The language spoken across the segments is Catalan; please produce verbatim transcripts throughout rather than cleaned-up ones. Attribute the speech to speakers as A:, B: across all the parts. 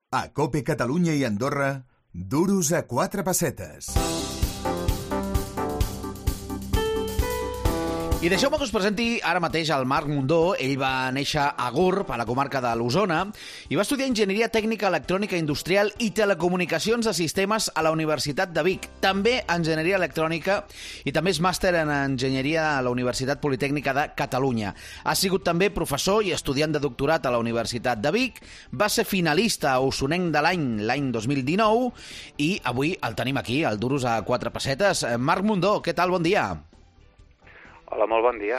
A: A COPE Catalunya i Andorra, duros a quatre pessetes.
B: I deixeu-me que us presenti ara mateix el Marc Mundó. Ell va néixer a Gurb, a la comarca de l'Osona, i va estudiar Enginyeria Tècnica Electrònica Industrial i Telecomunicacions de Sistemes a la Universitat de Vic. També Enginyeria Electrònica i també és màster en Enginyeria a la Universitat Politècnica de Catalunya. Ha sigut també professor i estudiant de doctorat a la Universitat de Vic. Va ser finalista a Osonenc de l'any, l'any dos mil dinou, i avui el tenim aquí, al Duros a quatre pessetes. Marc Mundó, què tal? Bon dia.
C: Hola, molt bon dia.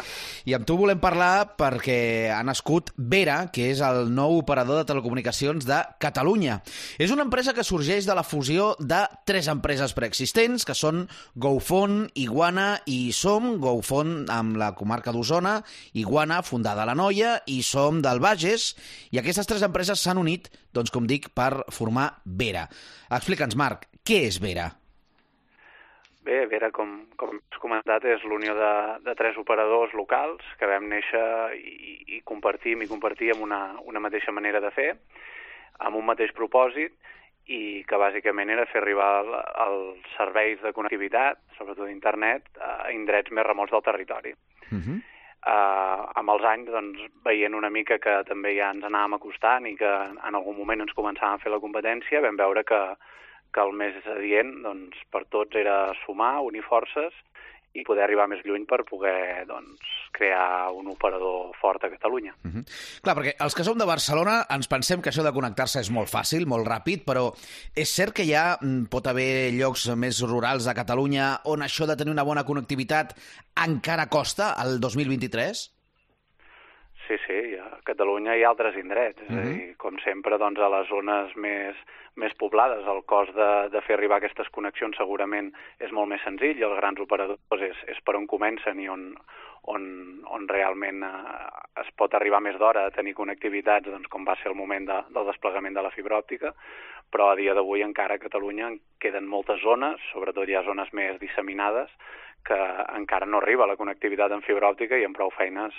B: I amb tu volem parlar perquè ha nascut Vera, que és el nou operador de telecomunicacions de Catalunya. És una empresa que sorgeix de la fusió de tres empreses preexistents, que són GoFone, Iguana i Som. GoFone amb la comarca d'Osona, Iguana, fundada a l'Anoia, i Som del Bages. I aquestes tres empreses s'han unit, doncs, com dic, per formar Vera. Explica'ns, Marc, què és Vera?
C: Bé, Vera, com, com has comentat, és l'unió de, de tres operadors locals que vam néixer i, i compartim i compartíem una, una mateixa manera de fer, amb un mateix propòsit, i que bàsicament era fer arribar el, els serveis de connectivitat, sobretot d'internet, a indrets més remots del territori. Uh-huh. Uh, amb els anys, doncs, veient una mica que també ja ens anàvem acostant i que en algun moment ens començàvem a fer la competència, vam veure que que el més adient, doncs, per tots era sumar, unir forces i poder arribar més lluny per poder, doncs, crear un operador fort a Catalunya.
B: Uh-huh. Clar, perquè els que som de Barcelona ens pensem que això de connectar-se és molt fàcil, molt ràpid, però és cert que ja pot haver llocs més rurals a Catalunya on això de tenir una bona connectivitat encara costa el dos mil vint-i-tres?
C: Sí, sí, a Catalunya hi ha altres indrets, és a dir, com sempre, doncs, a les zones més, més poblades el cost de, de fer arribar aquestes connexions segurament és molt més senzill i els grans operadors és, és per on comencen i on, on, on realment eh, es pot arribar més d'hora a tenir connectivitats, doncs, com va ser el moment de, del desplegament de la fibra òptica, però a dia d'avui encara a Catalunya queden moltes zones, sobretot hi ha zones més disseminades, que encara no arriba la connectivitat en fibra òptica i amb prou feines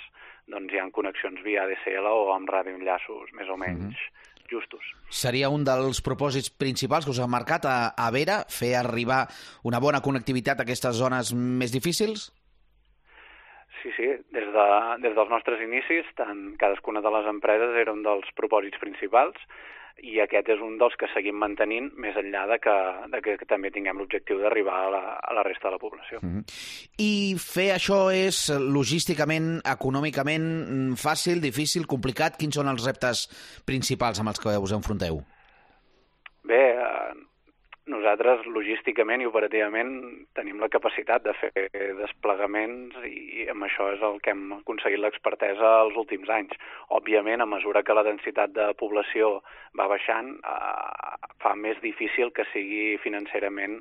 C: doncs, hi ha connexions via A D S L o amb radioenllaços més o menys mm-hmm. justos.
B: Seria un dels propòsits principals que us ha marcat a, a Vera, fer arribar una bona connectivitat a aquestes zones més difícils?
C: Sí, sí. Des, de, des dels nostres inicis, tant cadascuna de les empreses era un dels propòsits principals i aquest és un dels que seguim mantenint més enllà de que, de que, que també tinguem l'objectiu d'arribar a, la, a la resta de la població.
B: Mm-hmm. I fer això és logísticament, econòmicament fàcil, difícil, complicat? Quins són els reptes principals amb els que us enfronteu?
C: Bé, eh, nosaltres logísticament i operativament tenim la capacitat de fer desplegaments i amb això és el que hem aconseguit l'expertesa els últims anys. Òbviament, a mesura que la densitat de població va baixant, eh, fa més difícil que sigui financerament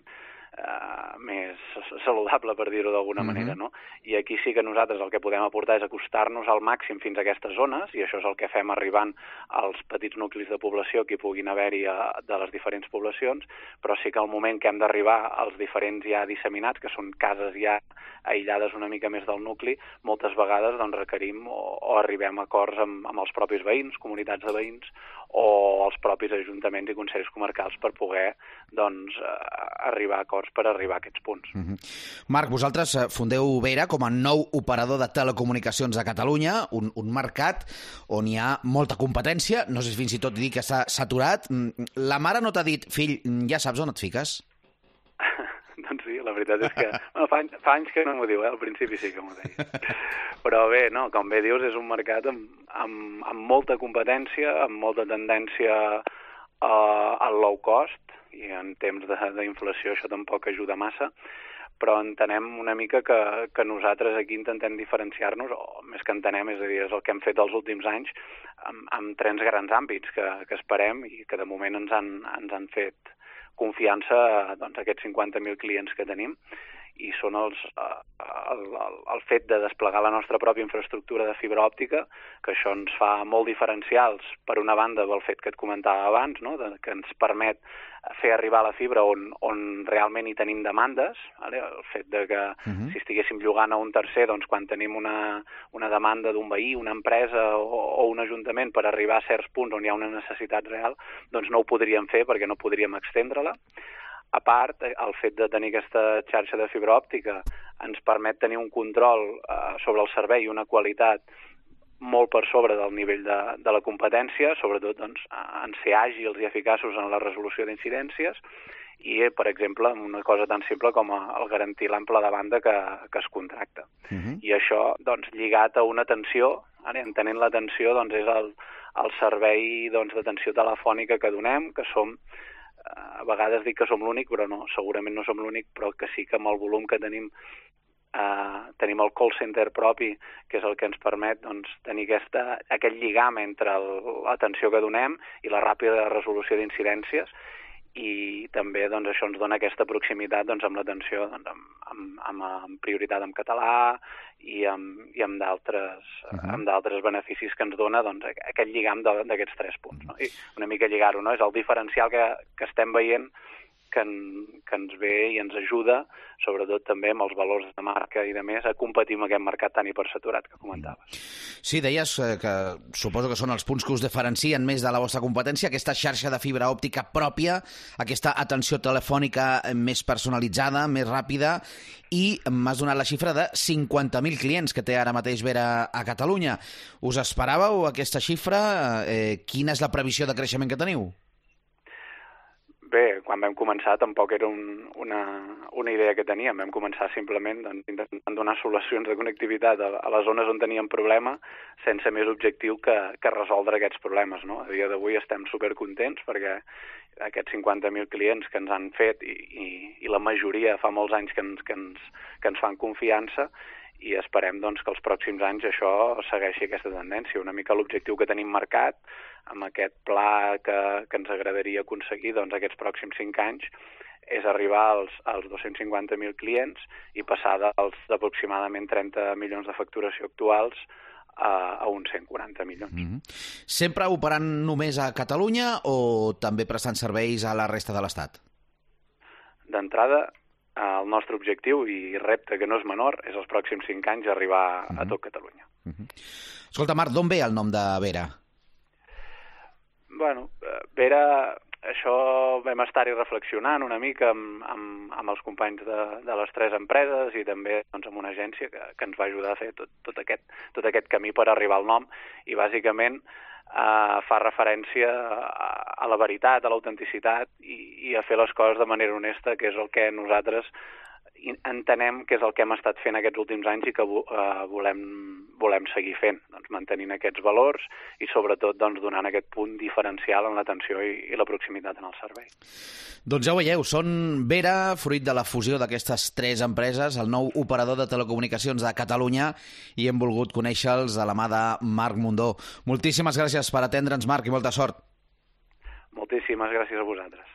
C: Uh, més saludable, per dir-ho d'alguna mm-hmm. manera, no? I aquí sí que nosaltres el que podem aportar és acostar-nos al màxim fins a aquestes zones, i això és el que fem arribant als petits nuclis de població que hi puguin haver-hi a, de les diferents poblacions, però sí que al moment que hem d'arribar als diferents ja disseminats, que són cases ja aïllades una mica més del nucli, moltes vegades doncs, requerim o, o arribem a acords amb, amb els propis veïns, comunitats de veïns, o els propis ajuntaments i consells comarcals per poder doncs, arribar a acords per arribar a aquests punts.
B: Mm-hmm. Marc, vosaltres fundeu Vera com a nou operador de telecomunicacions a Catalunya, un, un mercat on hi ha molta competència, no sé si fins i tot dir que s'ha saturat. La mare no t'ha dit, fill, ja saps on et fiques?
C: Doncs sí, la veritat és que bueno, fa, anys, fa anys que no m'ho diu, eh? Al principi sí que m'ho deia. Però bé, no, com bé dius, és un mercat amb, amb, amb molta competència, amb molta tendència uh, al low cost, i en temps d'inflació això tampoc ajuda massa, però entenem una mica que, que nosaltres aquí intentem diferenciar-nos, o més que entenem, és a dir, és el que hem fet els últims anys, amb, amb tres grans àmbits que, que esperem i que de moment ens han, ens han fet confiança doncs, a aquests cinquanta mil clients que tenim. i són els, el, el, el fet de desplegar la nostra pròpia infraestructura de fibra òptica, que això ens fa molt diferencials, per una banda, pel fet que et comentava abans, no? de, que ens permet fer arribar la fibra on, on realment hi tenim demandes, vale? El fet de que uh-huh. si estiguéssim llogant a un tercer, doncs quan tenim una, una demanda d'un veí, una empresa o, o un ajuntament per arribar a certs punts on hi ha una necessitat real, doncs no ho podríem fer perquè no podríem extendre-la. A part, el fet de tenir aquesta xarxa de fibra òptica ens permet tenir un control eh, sobre el servei i una qualitat molt per sobre del nivell de, de la competència, sobretot doncs, en ser àgils i eficaços en la resolució d'incidències i, per exemple, una cosa tan simple com el garantir l'ample de banda que, que es contracta. Uh-huh. I això, doncs, lligat a una atenció, ara, entenent l'atenció, doncs, és el, el servei doncs, d'atenció telefònica que donem, que som a vegades dic que som l'únic, però no, segurament no som l'únic, però que sí que amb el volum que tenim eh, tenim el call center propi, que és el que ens permet doncs, tenir aquesta, aquest lligam entre l'atenció que donem i la ràpida resolució d'incidències, i també doncs, això ens dona aquesta proximitat doncs, amb l'atenció doncs, amb, amb, amb, amb prioritat en català i amb, i amb d'altres uh-huh. amb d'altres beneficis que ens dona doncs, aquest lligam d'aquests tres punts. No? I una mica lligar-ho, no? És el diferencial que, que estem veient que, en, que ens ve i ens ajuda, sobretot també amb els valors de marca i de més, a competir amb aquest mercat tan hipersaturat que comentaves.
B: Sí, deies que suposo que són els punts que us diferencien més de la vostra competència, aquesta xarxa de fibra òptica pròpia, aquesta atenció telefònica més personalitzada, més ràpida, i m'has donat la xifra de cinquanta mil clients que té ara mateix Vera a Catalunya. Us esperàveu aquesta xifra? Eh, quina és la previsió de creixement que teniu?
C: Bé, quan vam començar tampoc era un, una, una idea que teníem. Vam començar simplement doncs, intentant donar solucions de connectivitat a, a les zones on teníem problema sense més objectiu que, que resoldre aquests problemes. No? A dia d'avui estem supercontents perquè aquests cinquanta mil clients que ens han fet i, i, i la majoria fa molts anys que ens, que ens, que ens fan confiança i esperem doncs, que els pròxims anys això segueixi aquesta tendència. Una mica l'objectiu que tenim marcat amb aquest pla que, que ens agradaria aconseguir doncs, aquests pròxims cinc anys és arribar als, als dos-cents cinquanta mil clients i passar dels aproximadament trenta milions de facturació actuals a, a uns cent quaranta milions.
B: Mm-hmm. Sempre operant només a Catalunya o també prestant serveis a la resta de l'Estat?
C: D'entrada, el nostre objectiu i repte, que no és menor, és els pròxims cinc anys arribar uh-huh. a tot Catalunya.
B: Uh-huh. Escolta, Marc, d'on ve el nom de Vera?
C: Bueno, Vera, això vam estar-hi reflexionant una mica amb, amb, amb els companys de, de les tres empreses i també doncs, amb una agència que, que ens va ajudar a fer tot, tot, aquest, tot aquest camí per arribar al nom i bàsicament Uh, fa referència a, a la veritat, a l'autenticitat i, i a fer les coses de manera honesta, que és el que nosaltres entenem que és el que hem estat fent aquests últims anys i que uh, volem, volem seguir fent, doncs, mantenint aquests valors i sobretot doncs, donant aquest punt diferencial en l'atenció i, i la proximitat en el servei.
B: Doncs ja ho veieu, són Vera, fruit de la fusió d'aquestes tres empreses, el nou operador de telecomunicacions de Catalunya, i hem volgut conèixer-los a la mà de Marc Mundó. Moltíssimes gràcies per atendre'ns, Marc, i molta sort.
C: Moltíssimes gràcies a vosaltres.